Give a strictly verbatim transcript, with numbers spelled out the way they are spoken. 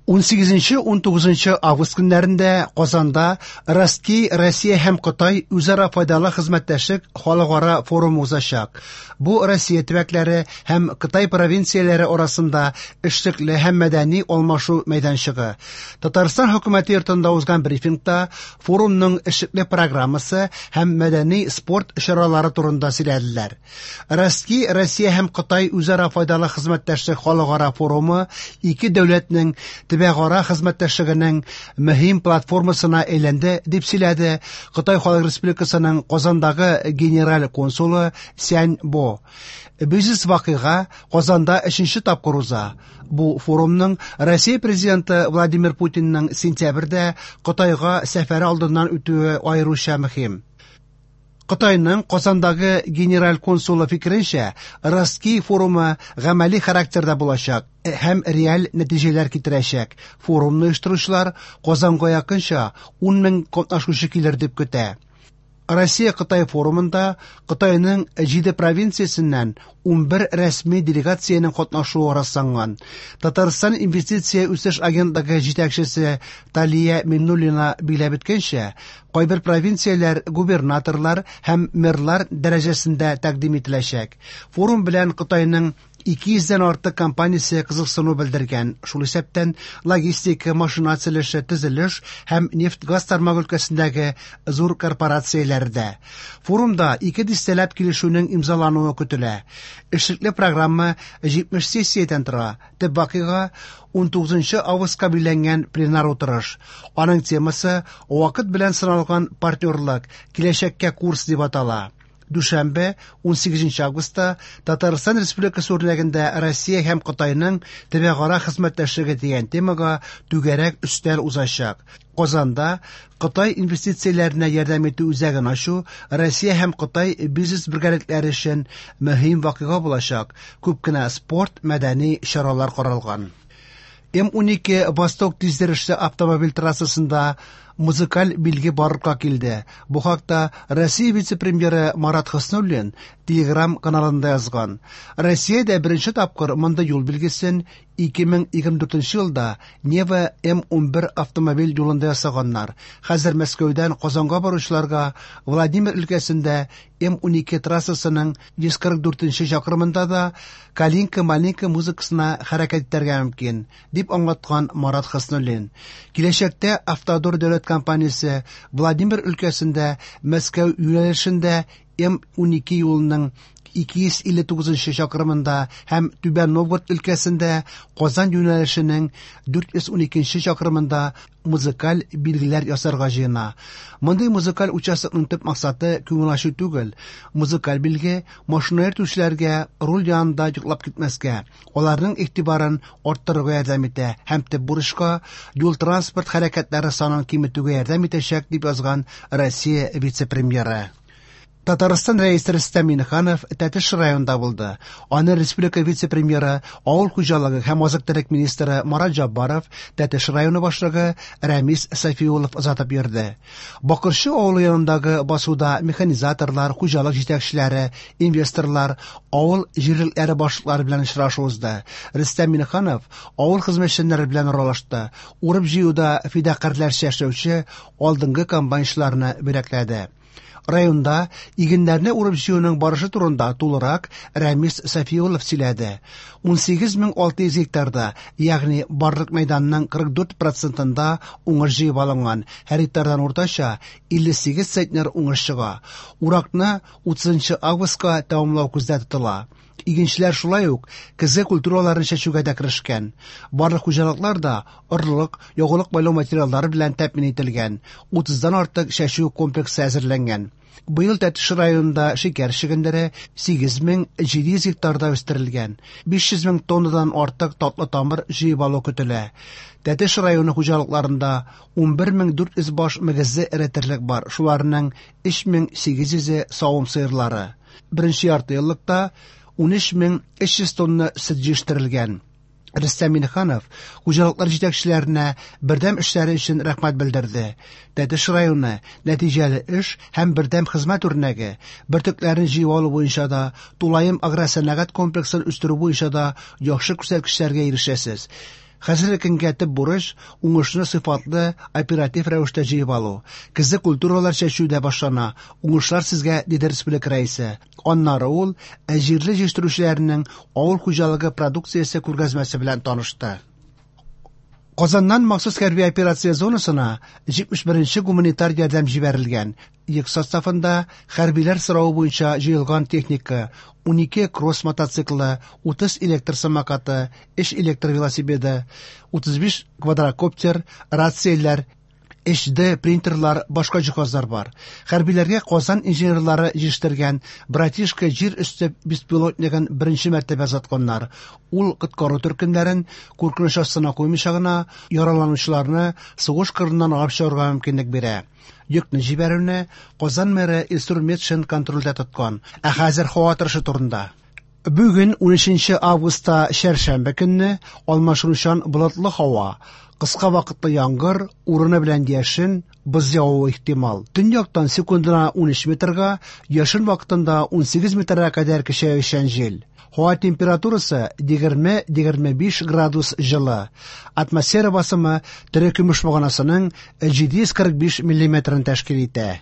Унсигезенче-унтугызынчы август көннәрендә Казанда «Ростки Россия һәм Кытай үзара файдалы хезмәттәшлек» халыкара форумы узачак. Бу Россия төбәкләре һәм Кытай провинцияләре арасында эшлекле һәм мәдәни алмашу мәйданчыгы. Татарстан хөкүмәте йортында узган брифингта форумның эшлекле программасы һәм мәдәни спорт чаралары турында сөйләделәр. «Ростки Россия һәм Кытай үзара файдалы хезмәттәшлек» халыкара форумы ике дәүләтнең төбәкара хезмәттәшлегенең мөһим платформасына әйләнде, дип сөйләде Кытай Халык Республикасының Казандагы генераль консулы Сянь Бо. Бизнес вакыйга Казанда өченче тапкыр уза. Бу форумның Россия президенты Владимир Путинның сентябрьдә Кытайга сәфәре алдыннан үтүе аеруча мөһим. Кытайның Казандагы генераль консулы фикеренчә, «Ростки» форумы гамәли характерда булачак һәм реаль нәтиҗәләр китерәчәк. Форумны оештыручылар Казанга якынча ун мең катнашучы килер дип көтә. Россия-Кытай форумында Кытайның җиде провинциясеннән унбер рәсми делегациянең катнашуы расланган. Татарстан инвестиция үсеш агентлыгы җитәкчесе Талия Миннуллина билгеләп үткәнчә, кайбер провинцияләр губернаторлар һәм мэрлар дәрәҗәсендә тәкъдим ителәчәк. Форум белән Кытайның ике йөздән артык компаниясе кызыксыну белдергән, шул исәптән логистика, машина төзелеше, төзелеш һәм нефть-газ тармагы өлкәсендәге зур корпорацияләр дә. Форумда ике дистәләп килешүнең имзалануы көтелә. Эшлекле программа җитмеш сессиядән тора. Төп вакыйга унтугызынчы августка билгеләнгән пленар утырыш. Аның темасы «Вакыт белән сыналган партнерлык, киләчәккә курс» дип атала. Дүшәмбе, унсигезенче августта Татарстан Республикасы үрнәгендә Россия һәм Кытайның төбәкара хезмәттәшлеге дигән темага түгәрәк өстәл узачак. Казанда Кытай инвестицияләренә ярдәм итү үзәген ачу Россия һәм Кытай бизнес бергәлекләре өчен мөһим вакыйга булачак. Күп кенә спорт, мәдәни чаралар каралган. М унике Восток тиздерешле автомобиль трассасында музыкаль билге барлыкка килде. Бу хакта Россия вице-премьеры Марат Хөснуллин Телеграм каналында язган. Россиядә беренче тапкыр мондый юл билгесен ике мең егерме дүртенче елда Нева М унбер автомобиль юлында ясаганнар. Хәзер Мәскәүдән Казанга баручыларга Владимир өлкәсендә М унике трассасының йөз кырык дүртенче чакрымында да Калинка-малинка музыкасына хәрәкәт итәргә мөмкин, дип аңлаткан Марат Хөснуллин. Киләчәктә Автодор дәүләт компаниясе Владимир өлкәсендә Мәскәү юнәлешендә М унике юлының ике йөз илле тугызынчы чакрымында һәм Түбән Новгород өлкәсендә Казан юнәлешенең дүрт йөз уникенче чакрымында музыкаль билгеләр ясарга җыена. Мондый музыкаль участокның төп максаты күңел ачу түгел. Музыкаль билге машина йөртүчеләргә руль янында йоклап китмәскә, аларның игътибарын арттырырга ярдәм итә һәм төп бурычка юл-транспорт хәрәкәтләре санын киметүгә ярдәм итәчәк, дип язган Россия вице-премьеры. Татарстан рәисе Рөстәм Миңнеханов Тәтеш районында булды. Аны республика вице-премьеры, авыл хуҗалыгы һәм азык-төлек министры Марат Җаббаров, Тәтеш районы башлыгы Рәмис Сафиуллов озатып йөрде. Бакырчы авылы янындагы басуда механизаторлар, хуҗалык җитәкчеләре, инвесторлар, авыл җирлекләре башлыклары белән очрашу узды. Рөстәм Миңнеханов авыл хезмәтчәннәре белән аралашты. Урып-җыюда фидакарьләрчә эшләүче алдынгы комбайнчыларны бүләкләде. Районда игеннәрне урып-җыюның барышы турында тулырак Рәмис Сафиуллов сөйләде. Унсигез мең алты йөз гектарда, ягъни барлык мәйданның кырык дүрт процентында уңыш җыеп алынган. Һәр гектардан уртача илле сигез центнер уңыш чыга. Уракны утызынчы августка тәмамлау күздә тотыла. Игенчеләр шулай ук көзге культураларын чәчүгә дә керешкән. Барлык хуҗалыклар да орлык, ягулык майлау материаллары белән тәэмин ителгән. Утыздан артык чәчү комплексы әзерләнгән. Быел Тәтеш районында шикәр чөгендере сигез мең җиде йөз гектарда үстерелгән. Биш йөз мең тоннадан артык татлы тамыр җыеп алу көтелә. Тәтеш районы хуҗалыкларында унбер мең дүрт йөз баш мөгезле эре терлек бар. Шуларның өч мең сигез йөзе савым сыерлары. Беренче ярты еллыкта унөч мең өч йөз тонна сөт җитештерелгән. Рөстәм Миңнеханов хуҗалыклар җитәкчеләренә бердәм эшләре өчен рәхмәт белдерде. Тәтеш районы нәтиҗәле эш һәм бердәм хезмәт үрнәге, бөртекләрен җыеп алу буенча да, тулаем агросәнәгать комплексын үстерү буенча да яхшы күрсәткечләргә ирешәсез. Хәзерге көнгә төп бурыч – уңышны сыйфатлы, оператив рәвештә җыеп алу. Көзге культуралар чәчү дә башлана. Уңышлар сезгә, диде республика Рәисе. Аннары ул җирле җитештерүчеләрнең авыл хуҗалыгы продукциясе күргәзмәсе белән танышты. Казаннан махсус хәрби операция зонасына җитмеш беренче гуманитар ярдәм җибәрелгән. Йөк составында хәрбиләр соравы буенча җыелган техника: унике кросс мотоциклы, утыз электр самокаты, өч электр велосипеды, утыз биш квадрокоптер, рацияләр, H D принтерлар, башка җиһазлар бар. Хәрбиләргә Казан инженерлары җитештергән Братишка җир өсте беспилотнигын беренче мәртәбә озатканнар. Ул коткару төркемнәрен куркыныч астына куймыйча гына яраланучыларны сугыш кырыннан алып чыгарга мөмкинлек бирә. Йөкне җибәрүне Казан мэры Илсур Метшин контрольдә тоткан. Ә хәзер һава торышы турында. Бүген унөченче августта чәршәмбе көнне алмашынучан болытлы һава, кыска вакытлы яңгыр, урыны белән яшен, боз явуы ихтимал. Төньяктан секундына унөч метрга, яшен вакытында унсигез метрга кадәр көчәючән җил. Һава температурасы егерме егерме биш градус җылы. Атмосфера басымы терекөмеш баганасының җиде йөз кырык биш миллиметрын тәшкил итә.